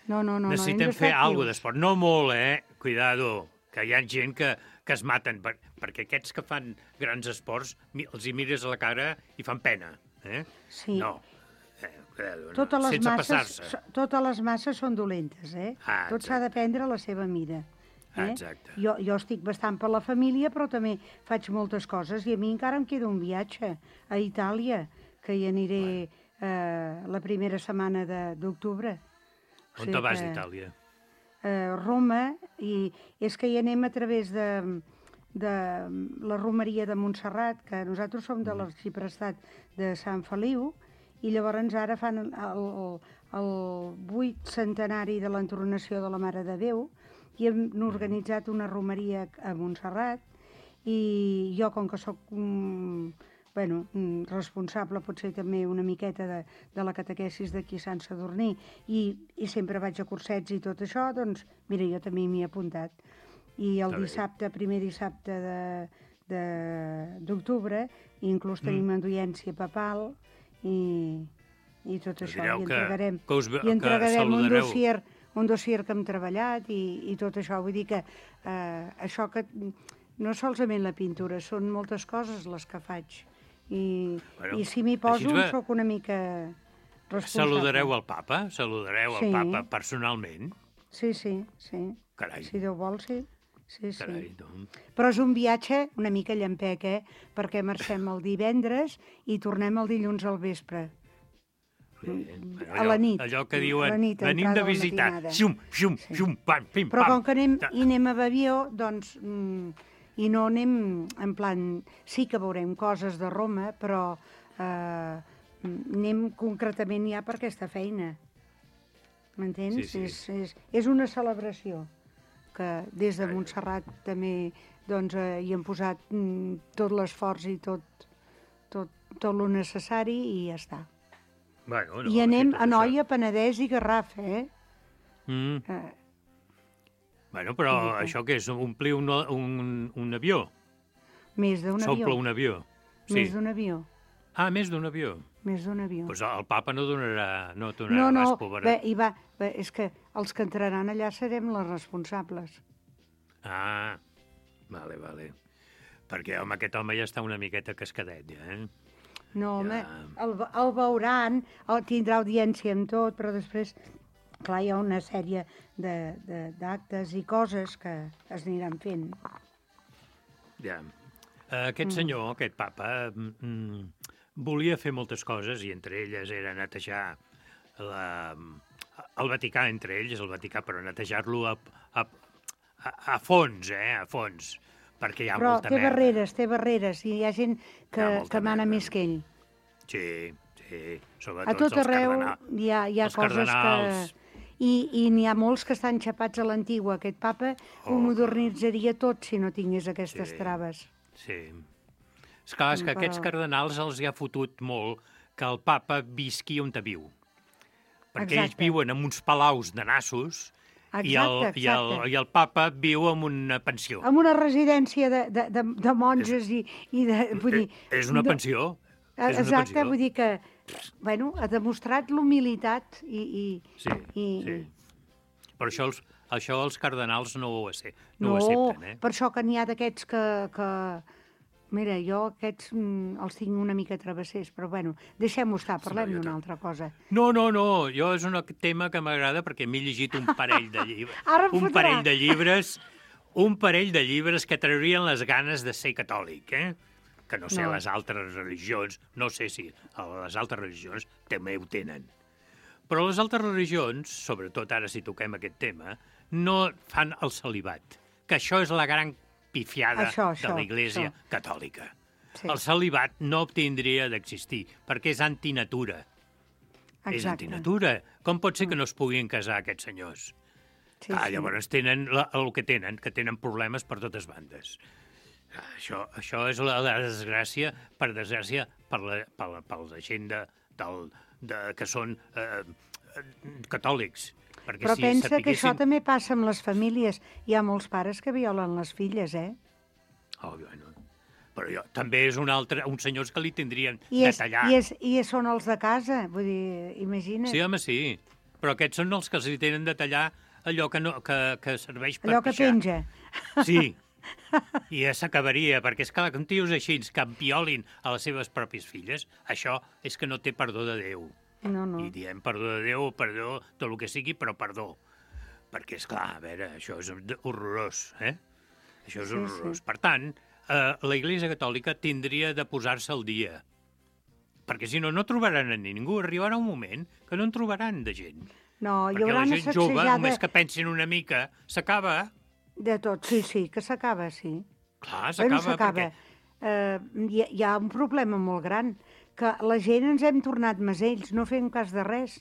No, necessitem fer alguna d'esport. No molt, cuidado, que hi ha gent que es maten, perquè aquests que fan grans esports els hi mires a la cara i fan pena. Sí. No. Sense passar-se. Totes les masses són dolentes, Tot s'ha de prendre a la seva mida. Exacte. Jo estic bastant per la família, però també faig moltes coses i a mi encara em queda un viatge a Itàlia, que hi aniré la primera setmana d'octubre. O On te vas d'Itàlia? Roma, i és que hi anem a través de la romeria de Montserrat, que nosaltres som de l'arxiprestat de Sant Feliu, i llavors ara fan el 8 centenari de l'entronació de la Mare de Déu, i hem organitzat una romeria a Montserrat, i jo, com que soc responsable potser també una miqueta de la catequesis d'aquí a Sant Sadurní, i sempre vaig a cursets i tot això, doncs mira, jo també m'hi he apuntat. I el dissabte, primer dissabte d'octubre, inclús tenim audiència papal i tot això. I entregarem un dossier que hem treballat i tot això. Vull dir que això que no solament la pintura, són moltes coses les que faig. I si m'hi poso, sóc una mica responsable. Saludareu al papa? Saludareu al papa personalment? Sí. Carai. Si Déu vol, sí. Carai, doncs. Però és un viatge una mica llampec, perquè marxem el divendres i tornem el dilluns al vespre. A la nit. Allò que diuen, venim de visitar. Xum, pam, pim, pam. Però com que anem a Bavió, doncs, i no anem en plan... Sí que veurem coses de Roma, però anem concretament ja per aquesta feina. M'entens? Sí. És una celebració que des de Montserrat també hi hem posat tot l'esforç i tot el necessari i ja està. I anem a Noia, Penedès i Garraf, Però això què és? Omplir un avió? Més d'un avió. S'omple un avió? Més d'un avió. Ah, més d'un avió? Més d'un avió. Doncs el papa no donarà res, pobret. És que els que entraran allà serem les responsables. Ah, vale. Perquè, home, aquest home ja està una miqueta cascadet, ja, No, home, el veuran, tindrà audiència amb tot, però després, clar, hi ha una sèrie d'actes i coses que es aniran fent. Ja. Aquest senyor, aquest papa, volia fer moltes coses, i entre elles era netejar el Vaticà, entre ells, el Vaticà, però netejar-lo a fons, a fons, perquè hi ha molta merda. Però té barreres, i hi ha gent que mana més que ell. Sí, sobretot a tot arreu hi ha coses cardenals. I n'hi ha molts que estan xapats a l'antigua. Aquest papa ho modernitzaria tot si no tingués aquestes traves. Sí. Esclar, és que aquests cardenals els hi ha fotut molt que el papa visqui on viu. Perquè ells viuen en uns palaus de nassos i el papa viu en una pensió. En una residència de monges vull dir... És una pensió. Exacte, vull dir que ha demostrat l'humilitat i... Sí. Però això els cardenals no ho accepten, No, per això que n'hi ha d'aquests que... Mira, jo aquests els tinc una mica travessers, però deixem-ho estar, parlem d'una altra cosa. No, jo és un tema que m'agrada perquè m'he llegit un parell de llibres. Un parell de llibres que traurien les ganes de ser catòlic, que no sé, les altres religions, no sé si les altres religions també ho tenen. Però les altres religions, sobretot ara si toquem aquest tema, no fan el celibat, que això és la gran pifiada de l'Església catòlica. El celibat no tindria d'existir, perquè és antinatura. És antinatura. Com pot ser que no es puguin casar aquests senyors? Llavors tenen el que tenen problemes per totes bandes. Això és la desgràcia, per desgràcia, per la gent que són catòlics. Però pensa que això també passa amb les famílies. Hi ha molts pares que violen les filles, Però també és uns senyors que li tindrien de tallar. I són els de casa, vull dir, imagina't. Sí, home, sí. Però aquests són els que els li tenen de tallar allò que serveix per allò que penja. Sí. I ja s'acabaria, perquè és clar, com tios així que violin a les seves pròpies filles, això és que no té perdó de Déu. No. I diem perdó de Déu, perdó, tot el que sigui, però perdó. Perquè, és clar, a veure, això és horrorós, Això és horrorós. Per tant, la Iglésia Catòlica tindria de posar-se al dia. Perquè si no, no trobaran a ningú. Arribarà un moment que no en trobaran de gent. No, hi Perquè haurà la una gent jove, sacsejada només que pensin una mica, s'acaba. de tot. Sí, que s'acaba, sí. Clar, Bueno, s'acaba, perquè... Hi ha un problema molt gran, que la gent ens hem tornat masells, no fem cas de res.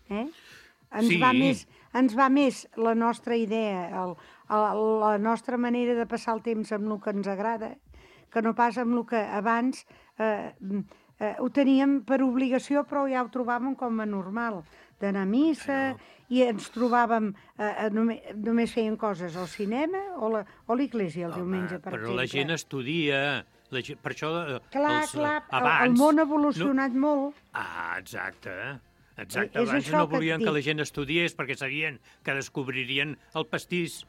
Sí. Ens va més la nostra idea, la nostra manera de passar el temps amb el que ens agrada, que no pas amb el que abans ho teníem per obligació, però ja ho trobàvem com a normal, d'anar a missa, i ens trobàvem, només feien coses al cinema o a l'església el diumenge, per exemple. Però la gent estudia, per això Clar, abans... el món ha evolucionat molt. Exacte. És Abans això no que et volien que dic. la gent estudiés perquè sabien que descobririen el pastís.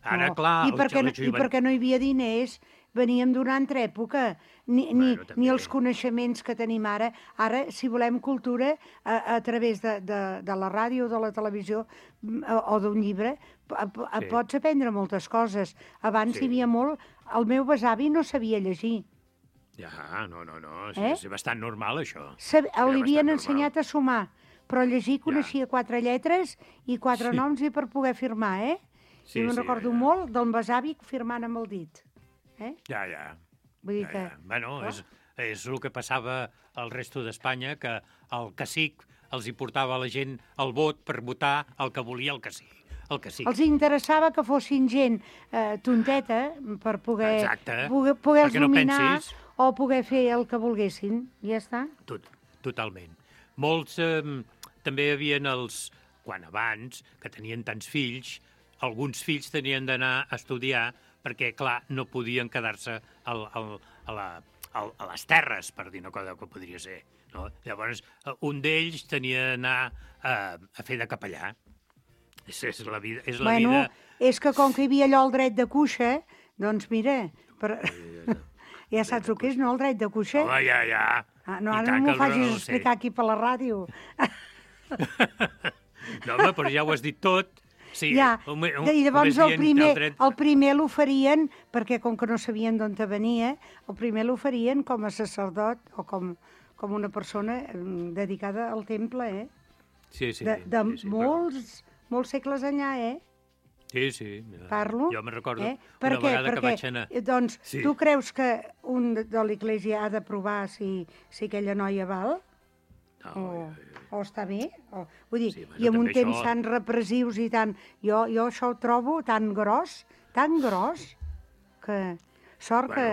Ara, No, clar... I perquè no hi havia diners, veníem d'una altra època, ni els coneixements que tenim ara. Ara, si volem cultura, a través de la ràdio, de la televisió o d'un llibre, pots aprendre moltes coses. Abans hi havia molt... El meu besavi no sabia llegir. Ja, no, és bastant normal, això. Li havien ensenyat a sumar, però llegir coneixia 4 lletres i 4 noms i per poder firmar, I me'n recordo molt del besavi firmant amb el dit. Ja. Vull dir que... Bueno, és el que passava al resto d'Espanya, que el cacic els hi portava a la gent el vot per votar el que volia el cacic. Els interessava que fossin gent tonteta per poder els dominar o poder fer el que volguessin. Ja està. Totalment. Molts també hi havia quan abans, que tenien tants fills, alguns fills tenien d'anar a estudiar perquè, clar, no podien quedar-se a les terres, per dir una cosa que podria ser. No? Llavors, un d'ells tenia d'anar a fer de capellà. És la vida. És que com que hi havia allò el dret de cuixa, doncs mira, ja saps el que és, no, el dret de cuixa? Home, ja. No, ara no m'ho facis explicar aquí per la ràdio. No, home, però ja ho has dit tot. Sí, I llavors el primer l'oferien, perquè com que no sabien d'on te venia, el primer l'oferien com a sacerdot o com una persona dedicada al temple, Sí. De molts segles enllà, Sí. Parlo. Jo me'n recordo una vegada que vaig anar... Doncs tu creus que un de l'Església ha de provar si aquella noia val? O està bé? Vull dir, i en un temps tan repressius i tan... Jo això ho trobo tan gros, que sort que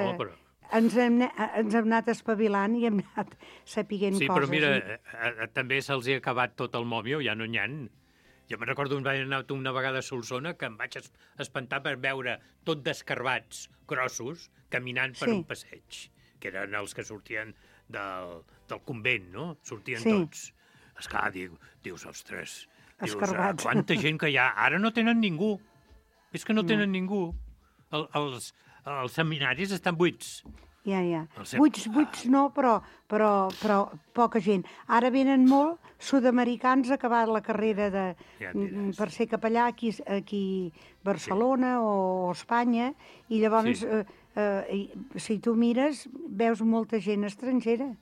ens hem anat espavilant i hem anat sapiguent coses. Sí, però mira, també se'ls ha acabat tot el mòbil, ja no n'hi ha. Jo me'n recordo vaig anar una vegada a Solsona que em vaig espantar per veure tot d'escarbats grossos caminant per un passeig, que eren els que sortien del convent, no? Sortien tots. Esclar, dius, ostres, quanta gent que hi ha. Ara no tenen ningú. És que no tenen ningú. Els seminaris estan buits. Ja. Buits no, però poca gent. Ara venen molt sud-americans a acabar la carrera per ser capellà aquí a Barcelona o Espanya, i llavors, si tu mires, veus molta gent estrangera.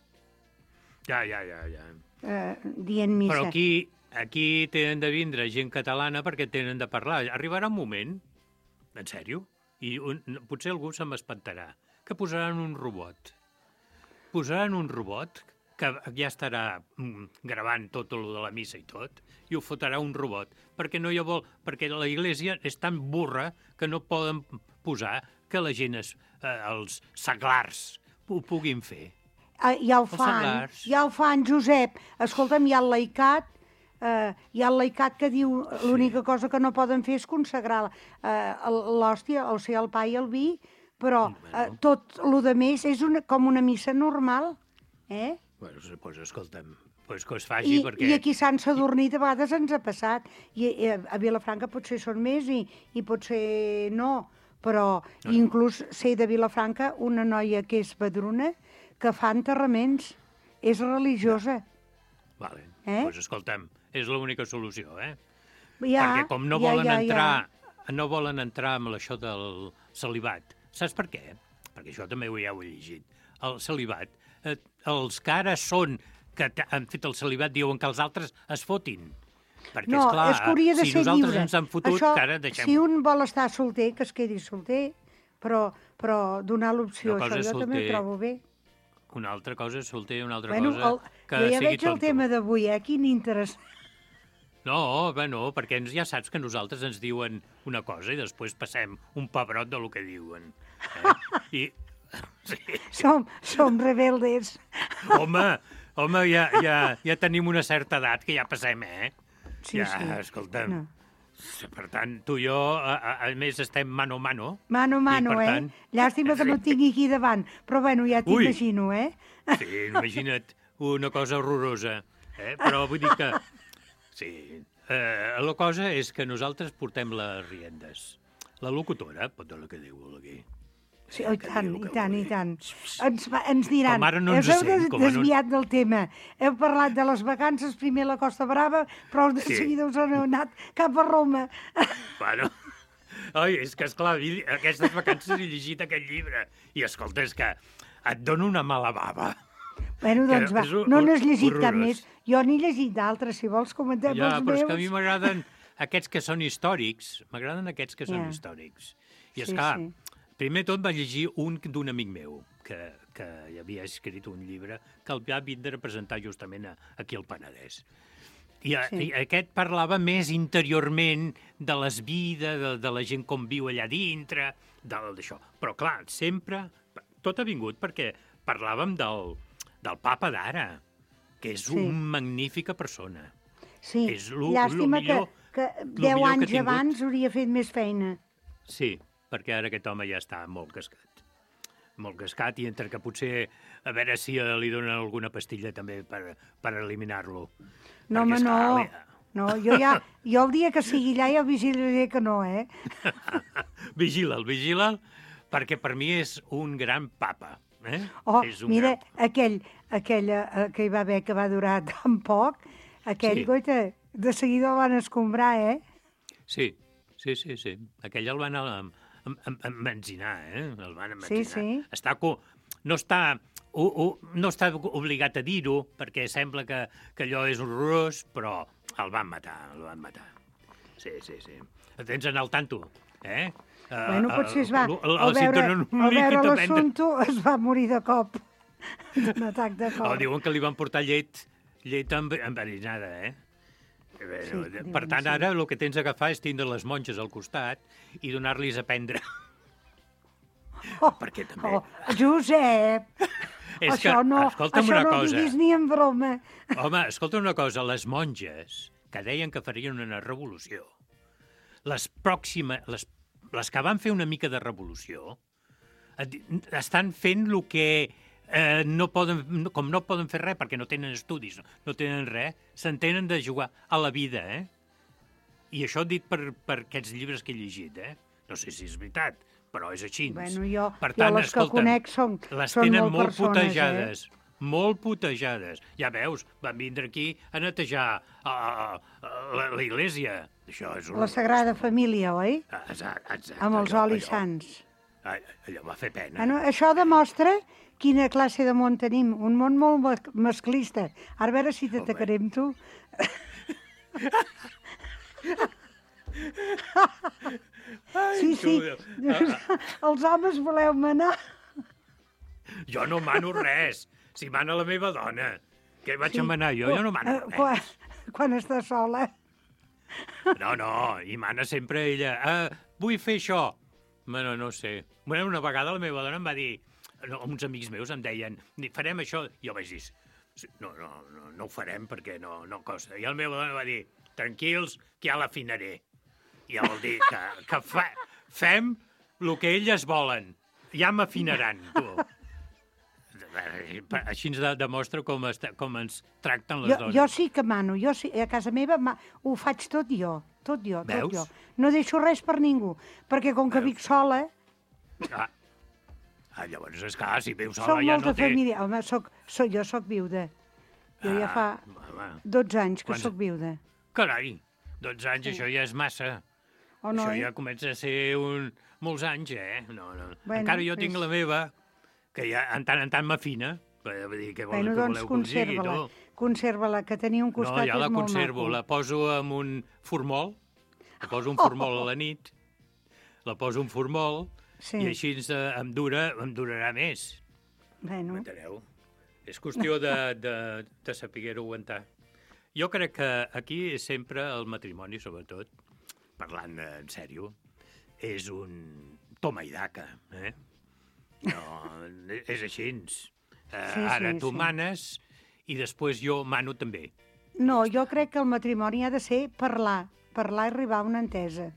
Ja. Dient missa. Però aquí tenen de vindre gent catalana perquè tenen de parlar. Arribarà un moment, en sèrio, i potser algú se m'espantarà, que posaran un robot. Posaran un robot que ja estarà gravant tot el de la missa i tot, i ho fotrà un robot, perquè perquè la Iglésia és tan burra que no poden posar que la gent, els seglars, ho puguin fer. Ja ho fan, Josep. Escolta'm, hi ha el laicat que diu l'única cosa que no poden fer és consagrar l'hòstia, o sigui, el pa i el vi, però tot el que més és com una missa normal, Doncs escolta'm, que es faci perquè... I aquí a Sant Sadurní de vegades ens ha passat, i a Vilafranca potser són més i potser no, però inclús sé de Vilafranca una noia que és padrona que fa enterraments, és religiosa. Vale, doncs escolta'm, és l'única solució, Ja, perquè com no volen entrar amb això del celibat. Saps per què? Perquè això també ja ho he llegit. El celibat, els que ara són, que han fet el celibat, diuen que els altres es fotin. Perquè, No, esclar, és que hauria de si ser nosaltres lliure. ens han fotut, Això, que ara deixem... si un vol estar solter, que es quedi solter, però donar l'opció, Una cosa això és jo també ho solter, trobo bé. Una altra cosa és solter, una altra Bueno, cosa que jo ja sigui veig el tonto. tema d'avui, quin interès. No, bueno, perquè ja saps que nosaltres ens diuen una cosa i després passem un pebrot de lo que diuen. I... Sí. Som rebeldes. Home, ja tenim una certa edat que ja passem, Sí, ja, sí. escolta'm. No. Per tant, tu i jo, a més, estem mano a mano. Mano a mano, I, per tant, Llàstima que no et tingui aquí davant, però bueno, ja Ui. t'imagino, Sí, imagina't una cosa horrorosa. Però vull dir que... Sí, la cosa és que nosaltres portem les riendes. La locutora pot dir el que diu aquí. Sí, i tant. Ens diran, Com ara no ens heu sent, com a no- desviat del tema. Heu parlat de les vacances, primer a la Costa Brava, però de Sí. seguida us heu anat cap a Roma. Bueno, oi, és que, esclar, aquestes vacances he llegit aquest llibre i, escolta, és que et dono una mala bava. Bueno, doncs Que va, és no n'has llegit cap horrorós. més. Jo n'he llegit d'altres, si vols comentem Ja, els però meus. és que a mi m'agraden aquests que són històrics. M'agraden aquests que són Ja. històrics. I, Sí, esclar, sí. primer tot vaig llegir un d'un amic meu, que hi havia escrit un llibre que el va vindre a presentar justament aquí al Penedès. I aquest parlava més interiorment de les vides, de la gent com viu allà dintre, d'això. Però, clar, sempre... Tot ha vingut perquè parlàvem del papa d'ara, que és una magnífica persona. Sí, És llàstima millor, que lo 10 millor que anys ha tingut. abans hauria fet més feina. Sí, perquè ara aquest home ja està molt cascat. Molt cascat, i entre que potser a veure si li donen alguna pastilla també per eliminar-lo. No, home, no. No, jo el dia que sigui allà ja vigilaré que no, Vigila'l, perquè per mi és un gran papa. Oh, És un mira, gran... aquell que hi va haver, que va durar tan poc, aquell, Sí. goita, de seguida el van escombrar, Sí. Aquell el van emmenzinar, El van emmenzinar. Sí. No està obligat a dir-ho, perquè sembla que allò és horrorós, però el van matar. Sí. El tens en el tanto, Bueno, potser es va... Al cinturó Al veure líquid l'assumpte es va morir de cop. Un atac de cop. diuen que li van portar llet enverinada, Sí, per tant, ara el que tens d'agafar és tindre les monges al costat i donar-los a prendre. Perquè també... Josep! És que, escolta'm això una no cosa. diguis ni en broma. Home, escolta una cosa, les monges que deien que farien una revolució, les que van fer una mica de revolució, estan fent el que com no poden fer res perquè no tenen estudis, no tenen res, s'entenen de jugar a la vida, I això dit per aquests llibres que he llegit, No sé si és veritat, però és així. Bueno, Per tant, les que conec són tenen molt persones, putejades. Molt putejades. Ja veus, van vindre aquí a netejar la iglesia. Això és La Sagrada Família, oi? Exacte. Amb els olis sants. Allò va fer pena. Bueno, això demostra quina classe de món tenim. Un món molt masclista. Ara a veure si t'atacarem, tu. Sí. Els homes voleu manar. Jo no mano res. Si mana la meva dona. Què vaig a manar jo? Jo no mano res. Quan està sola. No, i mana sempre ella. Vull fer això. Bueno, no sé. Una vegada la meva dona em va dir... Uns amics meus em deien, farem això. Jo vaig dir, no ho farem perquè no costa. I la meva dona va dir, tranquils, que ja l'afinaré. I ja vol dir que fem el que elles volen. Ja m'afinaran, tu. Així ens demostra com ens tracten les dones. Jo sí que mano. Jo sí, a casa meva ho faig tot jo. Tot jo. No deixo res per ningú. Perquè com que vic sola... Llavors, és clar, si viu sola Soc ja molta no té... família. Home, jo soc viuda. Jo ja fa 12 anys que soc viuda. Carai, 12 anys, això ja és massa. Això ja comença a ser molts anys, No. Encara jo tinc la meva, que ja en tant m'afina. Vull dir, què voleu que Doncs us digui, conserva-la. tu? conserva-la, que tenia un costat No, ja la és molt conservo. maco. La poso en un formol. La poso un formol a la nit. La poso un formol. Sí. I així em durarà més. Bueno. M'enteneu? És qüestió de saber-ho aguantar. Jo crec que aquí sempre el matrimoni, sobretot, parlant en sèrio, és un toma i daca, eh? No, és així. Ara tu manes i després jo mano també. No, jo crec que el matrimoni ha de ser parlar i arribar a una entesa.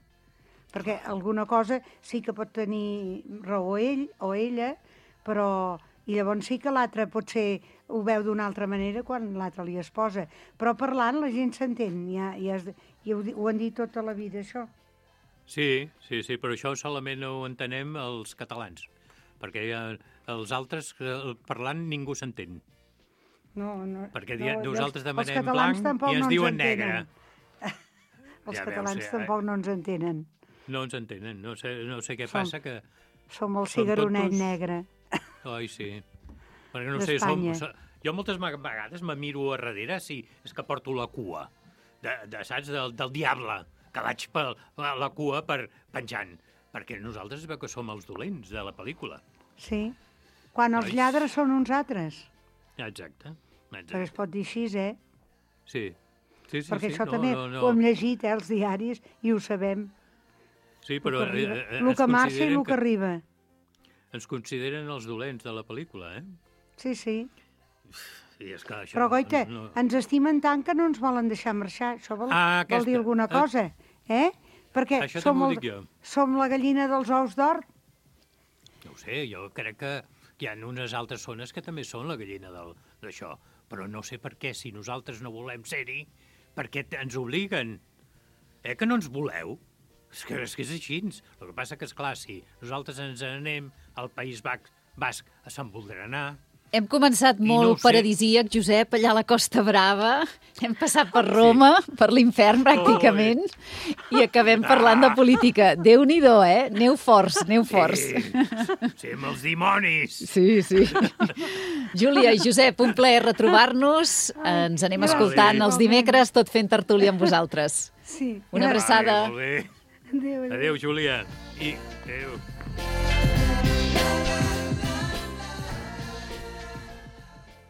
Perquè alguna cosa sí que pot tenir raó ell o ella, però... I llavors sí que l'altre potser ho veu d'una altra manera quan l'altre li es posa. Però parlant la gent s'entén, i ho han dit tota la vida, això. Sí, però això solament ho entenem els catalans, perquè els altres, parlant, ningú s'entén. No, perquè nosaltres demanem blanc i ens diuen negre. Els catalans tampoc no ens entenen. No ens entenen, no sé què passa, que... Som el cigaronet negre. Ai, sí. Perquè no sé, jo moltes vegades me miro a darrere si és que porto la cua, saps, del diable, que vaig per la cua penjant, perquè nosaltres es veu que som els dolents de la pel·lícula. Sí, quan els lladres són uns altres. Exacte. Però es pot dir així, eh? Sí. Perquè això també ho hem llegit, els diaris, i ho sabem. Sí, però... El que marxa i el que arriba. Ens consideren els dolents de la pel·lícula, eh? Sí. I és que això però, goita, ens estimen tant que no ens volen deixar marxar. Això vol dir alguna cosa, eh? Perquè som la gallina dels ous d'or. No ho sé, jo crec que hi ha unes altres zones que també són la gallina d'això, però no sé per què, si nosaltres no volem ser-hi, per què ens obliguen? Que no ens voleu? És que és així. El que passa que, esclar, si nosaltres ens anem al País Basc a Sant Voldrenar... Hem començat molt paradisíac, Josep, allà a la Costa Brava. Hem passat per Roma, per l'infern, pràcticament, i acabem parlant de política. Déu-n'hi-do, eh? Neu forts. Sí, amb els dimonis. Sí. Júlia i Josep, un plaer retrobar-nos. Ens anem escoltant els dimecres, tot fent tertúlia amb vosaltres. Sí. Una abraçada. Molt bé. Adéu, Júlia. Adéu.